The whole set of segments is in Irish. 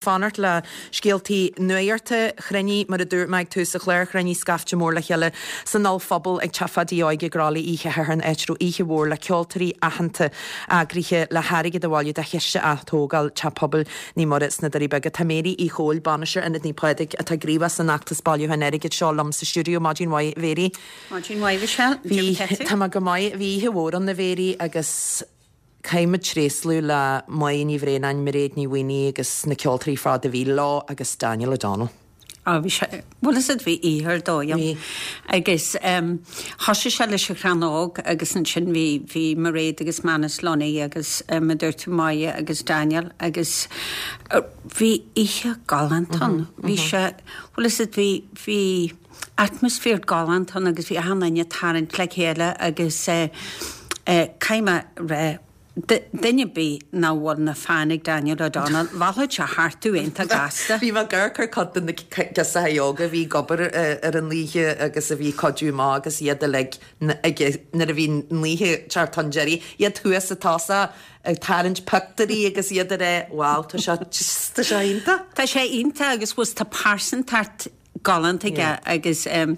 Fanacht le scéaltaí nuachta. Chruinnigh, mar a dúirt mé ag tús an chláir, chruinnigh scaifte mór le chéile san ollphuball ag Teach Pháidí Óig i gCroithlí oíche Shathairn, áit a raibh oíche mhór le ceoltóirí aitheanta eagraithe le hairgead a bhailiú do chiste atógáil Teach Pobail Naomh Muire sna Doirí Beaga. Tá Mary Uí Chomhaill, Bainisteoir Ionad Naomh Pádraig, atá gníomhach san fheachtas bailiúcháin airgid seo, liom sa stiúideo. Maidin mhaith, a Mhary. Maidin mhaith, Michelle. Bhí, tá mé go maith. Bhí oíche mhór ann, a Mhary, agus. Caithfidh muid tréaslú le Máire Ní Bhraonáin, Mairéad Ní Mhaonaigh agus na ceoltóirí ar fad a bhí leo agus Daniel O'Donnell. Á bhí sé, bhfuil fhios a'd bhí oíche ar dóigh ann. Bhí. Agus thosaigh sé leis an Chrann Óg agus ansin bhí, bhí Mairéad agus Manus Lunny agus mar a dúirt tú Máire agus Daniel agus bhí oíche galánta ann. Bhí sé, bhfuil fhios a'd bhí, bhí atmaisféar galánta ann agus bhí achan duine ag tarraingt le chéile agus caithfidh mé a rá, duine ar bith nach bhfuil ina fan ag Daniel O'Donnell, mheallfadh sé thart thú iontach gasta. Bhí mé ag amharc ar cuid de na girseachaí óga a bhí ag obair ar an oíche agus a bhí ag cuidiú amach agus iad uilig nuair a bhí an oíche ag teacht chun deiridh, iad thuas sa tosach ag tarraingt pictiúirí agus iad ag rá wow tá sé tá sé iontach. Tá sé iontach agus bhfuil tá pearsantacht galánta aige agus bhí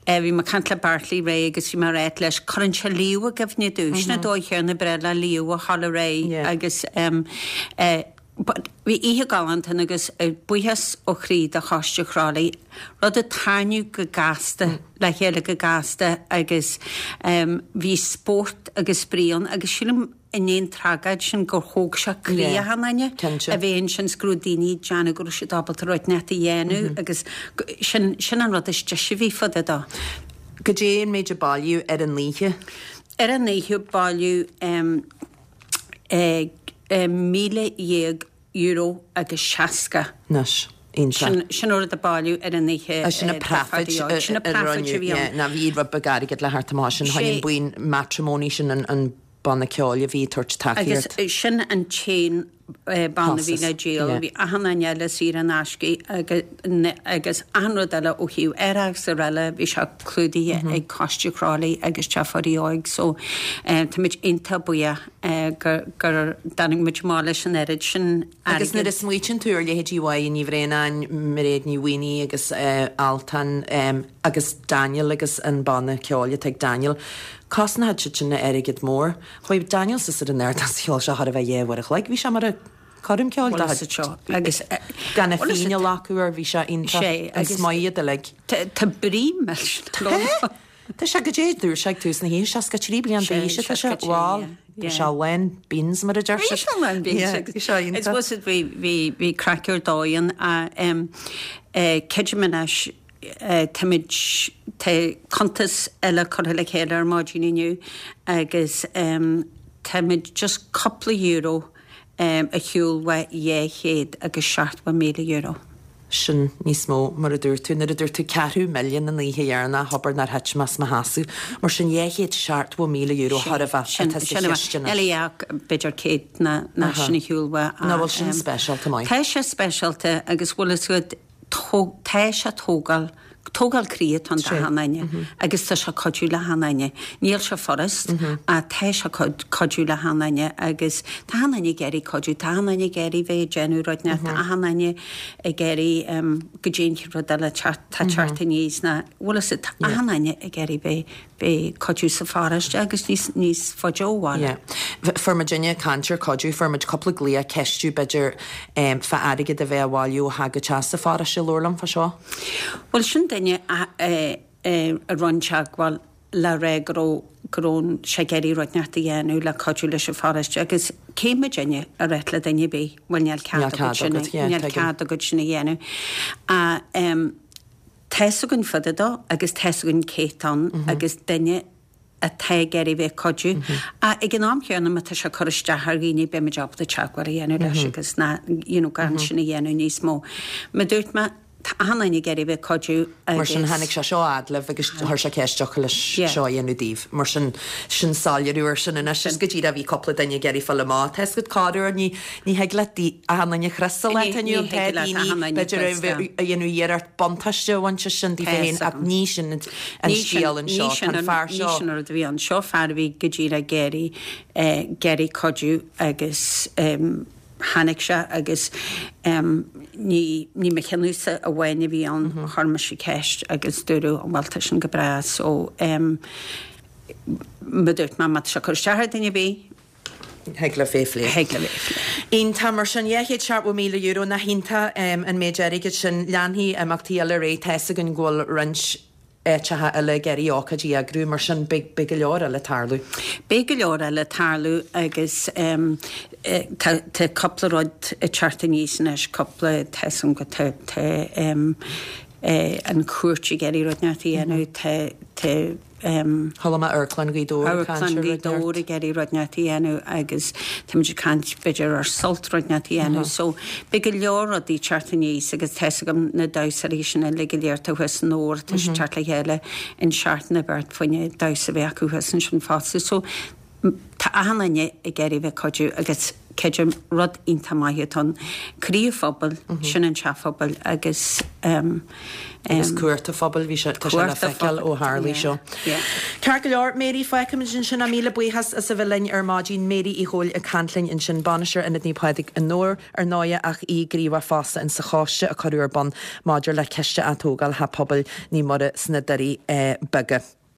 mé ag caint le Bartley Ray agus bhí mé ag ráit leis, cuireann sé Leo i gcuimhne domh, sin an dóigh chéanna ba bhreá le Leo a ghabháil ar aghaidh agus but bhí oíche galánta ann agus buíochas ó chroí do Choiste Chroithlí, rud a tarraingíodh go gasta le chéile go gasta agus bhí spórt agus spraoi ann agus sílim i ndiaidh an tragóid sin gur thóg sé croí achan duine a bheith ansin 's go raibh daoine ag déanamh go raibh siad ábalta rud inteacht a dhéanamh agus sin sin an rud is deise a bhí fá dtaobh dó. Goidé an méid a bailíodh ar an oíche? Ar an oíche bailíodh €11,000 euro agus 60. Anois, iontach. Sin an rud a bailíodh ar an oíche. Sin an profit Sin an profit a bhí ann. Ná bhí rud beag airgid le theacht amach sin, tháinig an buíon Matrimony sin an banna ceoil a bhí ag tabhairt tacaíocht. Agus sin an t-aon banna a bhí le díol. Bhí achan duine eile saor in aisce agus achan rud eile ó thaobh árachas is araile bhí sé clúdaithe ag Coiste Chroithlí agus Teach Pháidí Óig so táimid iontach buíoch. gur dtáinig muid amach leis an oiread sin airgid. Agus nuair a smaoitíonn tú ar leithéidí Mháire Ní Bhraonáin, Mairéad Ní Mhaonaigh agus Altan agus Daniel agus an banna ceoil atá ag Daniel, cosnóidh siad sin airgead mór. Chuaigh Daniel suas ar an ardán is cheol sé chóir a bheith 2 uair a chloig, bhí sé mar a coirm ceoil dá chuid. Gan a phingin a ghlacadh air, bhí sé iontach, an smaoth iad uilig. Tá brí millteanach. Tá sé goidé a dúirt sé ag tús na hoíche, 63 bliain d'aois atá sé, bhal, tá sé lán beans mar a deir siad. Bhí sé lán beans agus bhí sé iontach. I suppose bhí, bhí, bhí craic ar dóigh ann. Creidim anois, táimid, tá cuntas eile curtha le chéile ar maidin inniu agus táimid just cúpla euro ar shiúl uaidh €270,000. Sin níos mó, mar a dúirt tú. Nuair a dúirt tú ceathrú milliún an oíche dheireanach, abair nár thit mé as mo sheasamh. Mar sin €270,000 chóir a bheith atá sa chiste anois. Níl ach b'fhéidir 100 ná sin ar shiúl uaidh. Nach bhfuil sin speisialta maith? Tá sé speisialta agus bhfuil fhios agat, tá sé tógáil, tógáil croí atá ann d'achan duine agus tá sé cuidiú le achan duine. Níl sé furast ach tá sé cuidiú le achan duine agus tá achan duine ag iarraidh cuidiú, tá achan duine ag iarraidh bheith ag déanamh rud inteacht, tá achan duine ag iarraidh go dtéann rud eile tá teacht aníos ná bhfuil fhios agat, tá achan duine ag iarraidh bheith bheith cuidiú sa pharóiste agus níos níos faide ó bhaile. Yeah. Fuair muidinne caint ar cuidiú, fuair muid cúpla glaoch ag ceistiú b'fhéidir fá airgead a bheith á bhailiú ó theach go teach sa pharóiste, labhair liom fá seo. Bhuel sin duine a a rinne teagmháil le rá go raibh go raibh sé ag iarraidh rud inteacht a dhéanamh le cuidiú leis an pharóiste agus cé muidinne a ráit le duine ar bith bhuel níl cead agat sin níl cead agat sin a dhéanamh. Tá's againn fá dtaobh dó agus tá's againn cé atá ann agus duine atá ag iarraidh bheith ag cuidiú. Ach ag an am chéanna má tá sé ag cur isteach ar dhaoine beidh muid ábalta teagmháil a dhéanamh leis agus ná you know gan sin a dhéanamh níos mó. Mar a dúirt mé, tá achan duine ag iarraidh bheith ag cuidiú agus. Mar sin tháinig sé seo fhad libh agus chuir sé ceist dtiocfadh leis seo a dhéanamh daoibh. Mar sin, sin soiléiriú ar sin anois. Is go díreach bhí cúpla duine ag iarraidh fáil amach. Tá's agat corruair ní Ní thig leat achan duine a chrios sa lá atá inniu ann. Tá daoine, b'fhéidir, a dhéanamh iarracht buntáiste a bhaint as sin daofa féin ach ní sin an scéal anseo. Tá an fear seo. Ní sin an rud a bhí ann. Seo fear a bhí go díreach ag iarraidh, ag iarraidh cuidiú agus. Tháinig sé agus ní ní mo chinneadh-sa amháin a bhí ann, chuir mise ceist agus dúradh bhuel tá sin go breá so mar a dúirt mé má tá sé ag cur isteach ar duine ar bith, Thig libh é a phlé. Thig libh é a phlé. Iontach, mar sin, €270,000, nach iontach an méid airgid sin. Leanfaidh imeachtaí eile ar aghaidh, tá fhios againn go bhfuil roinnt áiteacha eile ag iarraidh ócáidí a eagrú, mar sin beidh go leor eile ag tarlú. Beidh go leor eile ag tarlú agus tá tá cúpla rud ag teacht aníos anois, cúpla, tá fhios agam go tá tá an chúirt ag iarraidh rud inteacht a dhéanamh, tá tá Chuala mé Amharclann Ghaoth Dobhair ag caint ar Amharclann Ghaoth Dobhair ag iarraidh rud inteacht a dhéanamh agus táimid ag caint b'fhéidir ar Sult rud inteacht a dhéanamh. So beidh go leor rudaí ag teacht aníos agus tá fhios agam na damhsóirí sin uilig go léir atá thuas i nDobhar tá siad ag teacht le chéile an seachtain a bheart fá choinne damhsa a bheith acu thuas ansin fosta. So Tá achan duine ag iarraidh bheith ag cuidiú agus creidim rud iontach maith atá ann. Croí an phobail, sin an teach phobail agus. Agus cumhacht an phobail, bhí sé, tá sé le feiceáil ó tharlaigh seo. Ceart go leor, Mary, fágfaimid ansin é. Míle buíochas as a bheith linn ar maidin. Mary Uí Chomhaill ag caint linn ansin, Bainisteoir Ionad Naomh Pádraig i nDobhar, ar ndóighe, ach í gníomhach fosta insa choiste a cuireadh ar bun maidir le Ciste Atógála Theach Pobail Naomh Muire sna Doirí Beaga.